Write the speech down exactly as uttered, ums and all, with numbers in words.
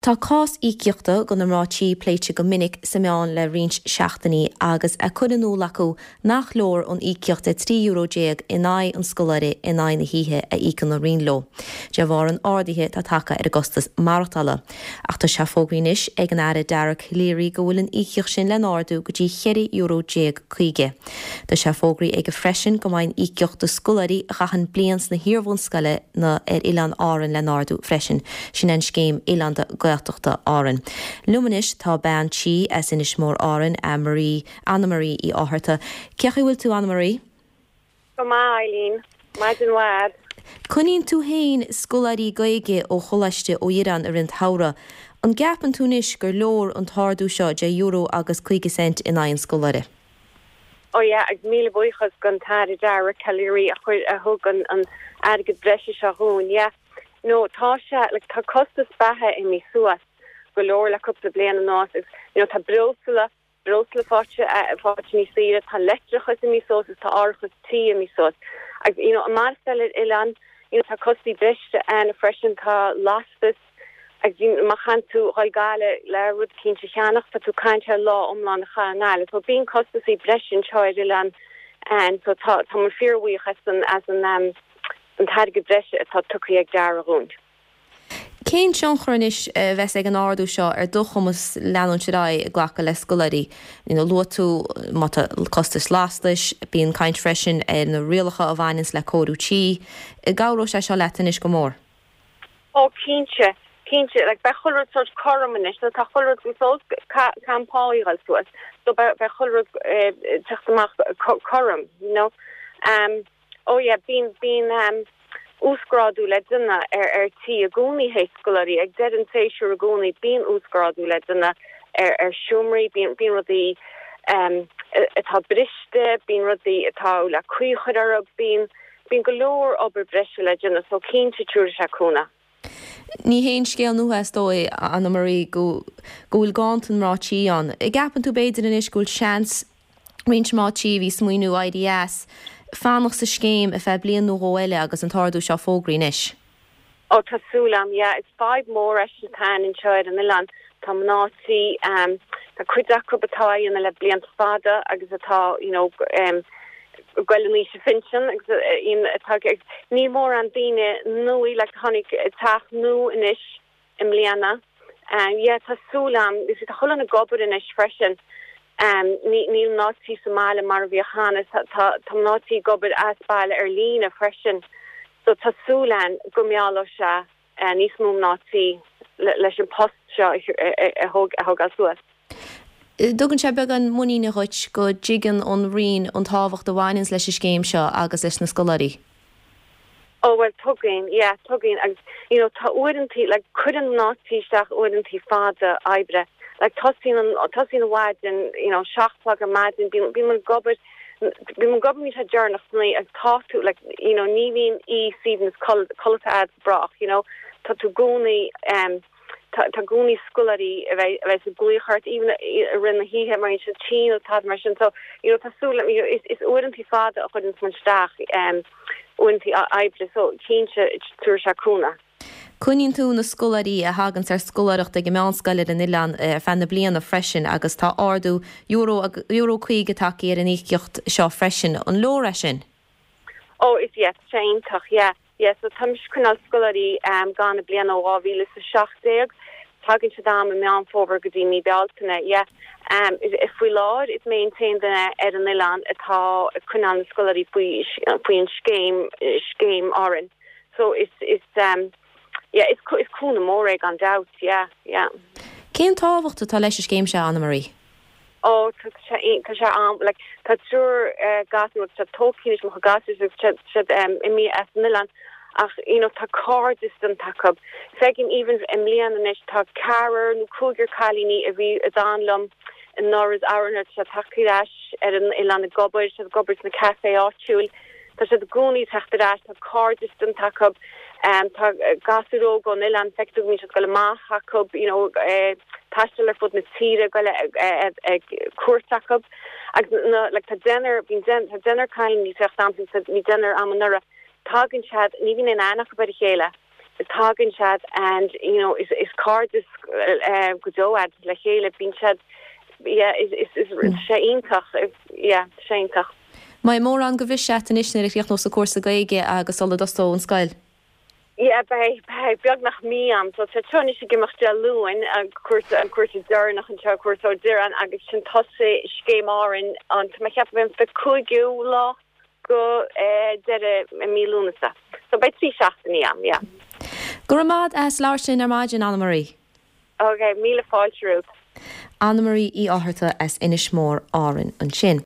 Tá cás íocaíochta do na mná tí pléite go minic sna meáin le roinnt seachtainí agus á chur in iúl acu nach leor an íocaíocht de trí euro déag in aghaidh an scoláire in aghaidh na hoíche a íocann an Roinn leo. De bharr an ardaithe atá tagtha ar a gcostas maireachtála. Ach tá sé fógraithe anois ag an Aire Dara Calleary go bhfuil an íocaíocht sin le n-ardú go dtí ceithre euro déag caoga. Tá sé fógraithe aige freisin go mbeidh an íocaíocht do scoláirí a chaitheann bliain sna hiarbhunscoileanna ar Oileáin Árann le n-ardú freisin, sin an scéim Oileánda Gaeltachta Árann. Liom anois tá bean tí as Inis Mór Árann Anna-Marie Anna-Marie Uí Fhátharta. Cén chaoi a bhfuil tú Anna-Marie? Go maith Eileen, Maidin mhaith. Coinníonn tú féin scoláirí Gaeilge ó Choláiste Ó Dhireáin i rith an tsamhraidh. An gceapann tú anois gur leor an t-ardú seo de euro agus caoga cent in aghaidh an scoláire? Oh yeah, ag míle buíochas don Aire Dara Calleary a chuir a thug an an airgead breise seo dhúinn, yeah. No tá sé like, tá costas beatha imithe suas go leor le cúpla bliain anuas agus you know, tá breosla breosla faighte faighte níos saoire tá leictreachas imithe suas agus tá árachas tí imithe suas. Agus you know, maireachtáil ar oileán you know, tá costais breise ann freisin tá lastas ag má théann tú go Gaillimh le rud eicínt a cheannach tá tú caint ar lá iomlán a chaitheamh i nGaillimh, so bíonn costais breise anseo ar oileán an so tá tá mé fíorbhuíoch as an as an um, an t-airgead breise atá tugtha ag Dara dhúinn. Cén tionchar anois a bheas ag an ardú seo ar do chumas leanúint ar aghaidh ag glacadh le scoláirí. Luaigh tú má tá costas lastais, bíonn caint freisin ar na rialacha a bhaineanns le cóiriú tí, cabhróidh sé seo leat anois go mór. Ó cinnte, cinnte, like beidh chuile rud sort cothrom anois, so tá chuile rud suas campáil suas, so beidh chuile rud teacht amach cothrom, you know. Um, oh yeah, bíonn bíonn um, uasghrádú le déanamh ar ar tí i gcónaí théis scoláirí ag deireadh an tséasúir i gcónaí bíonn uasghrádú le déanamh ar ar seomraí bíonn bíonn rudaí um, atá briste, bíonn rudaí atá le caoi a chur orthu bíonn bíonn go leor obair breise le déanamh so cinnte tabharfaidh sé cúnamh. Ní haon scéal nua is dóigh Anna-Marie go go bhfuil ganntan mná tí ann. An gceapann tú b'fhéidir anois go bhfuil seans roinnt mná tí a bhí ag smaoineamh éirí as fanacht sa scéim ar feadh bliain nó dhó eile agus an t-ardú seo fógraithe anois. Ó tá súil agam, yeah, is fadhb mór é sin atá anseo ar an oileán tá mná tí um, tá cuid acu atá ann le blianta fada agus atá you know, um, goil in aois phinsin agus atá ní mór an daoine nua le tháinig teach nua anois i mbliana. Um, yeah, tá súil agam is tá chuile dhuine ag obair anois freisin. Um, níl mná tí sa mbaile mar a bhí cheana tá mná tí ag obair as baile ar líne freisin. So tá súil agam go meallfaidh sé uh, níos mó mná tí leis an post seo a thógáil suas. Tugann sé beagán muiníne dhuit go dtuigeann an Roinn an tábhacht a bhaineanns leis an scéim seo agus leis na scoláirí. Oh well tuigeann yeah tuigeann agus you know tá uaireanta like cuireann mná tí isteach uaireanta fada oibre like tosaíonn an tosaíonn an mhaidin you know seacht ar maidin bíonn bíonn ag obair bíonn ag obair sé deireanach san ag tá tú like you know ní bhíonn í Stevens codlata agat brách you know tá tú i gcónaí um tá i gcónaí scoláirí a bheith a bheith ag glaoch ort even i rith na hoíche mar sin tinn tá mar sin so you know tá súil you know, is is uaireanta fada a chuireann muid isteach um uaireanta oibre so cinnte tabharfaidh sé cúnamh. Coinníonn tú na scoláirí a thagann ar scoláireacht ag an meánscoil ar an oileán ar feadh na bliana freisin agus tá ardú euro euro caoga tagtha ar an íocaíocht seo freisin an leor é sin. Oh is yeah, sé iontach yeah. Yeah, so tá ag coinneáil scoláirí um, gan na bliana ó dhá mhíle is a seacht déag, tagann siad am i Meán Fómhair go dtí mí Bealtaine yeah. Um, faoi láthair is mé an t-aon duine ar an oileán atá ag coinneáil na scoláirí faoi faoin scéim scéim Árann. So is is um, yeah, is is cúnamh mór é gan dabht yeah, yeah. Cén tábhacht atá leis an scéim seo Anna-Marie? Oh tá sé tá sé am like tá triúr uh, gasúr tá tógtha mo gasúr siad um, imithe as an oileán ach you know tá cairdeas déanta acu feicim even i mbliana anois tá ceathrar nó cúigear cailíní a bhí a d'fhan liom anuraidh anuraidh sé tagtha ar ais ar an oileán ag obair sé ag obair sna café áitiúil Tá sé i gcónaí teacht ar ais tá cairdeas déanta acu um, tá gasúir óga ón oileán feictear go go amach acu you know, eh, taisteal ar fud na tíre go ag ag cuairt acu agus na like, tá deichniúr bíonn tá deichniúr cailíní bhí deichniúr am anuraidh tagann siad ní bhíonn aithne acu ar a chéile. Tagann siad and you know is is cairdeas uh, go deo le chéile bíonn siad yeah is is is mm. sé iontach yeah sé iontach. Mbeidh mórán go bhris sé anois nuair a chríochnós an cúrsa Gaeilge agus sula dtosós an scoil. Yeah, beidh beidh beagnach mí am so tá trónis go Dé Luain an cúrsa an cúrsa deireanach an seo cúrsa deireanach agus sin tosaigh Scéim Árann an tá mé ceapadh an fiche cúigiú lá go eh, deireadh mí Lúnasa. So beidh trí seachtainí am, yeah. Go raibh maith as labhairt linn ar maidin Anna Marie. Ok, míle fáilte. Anna Marie Uí Fhátharta as Inis Mór Árann ansin.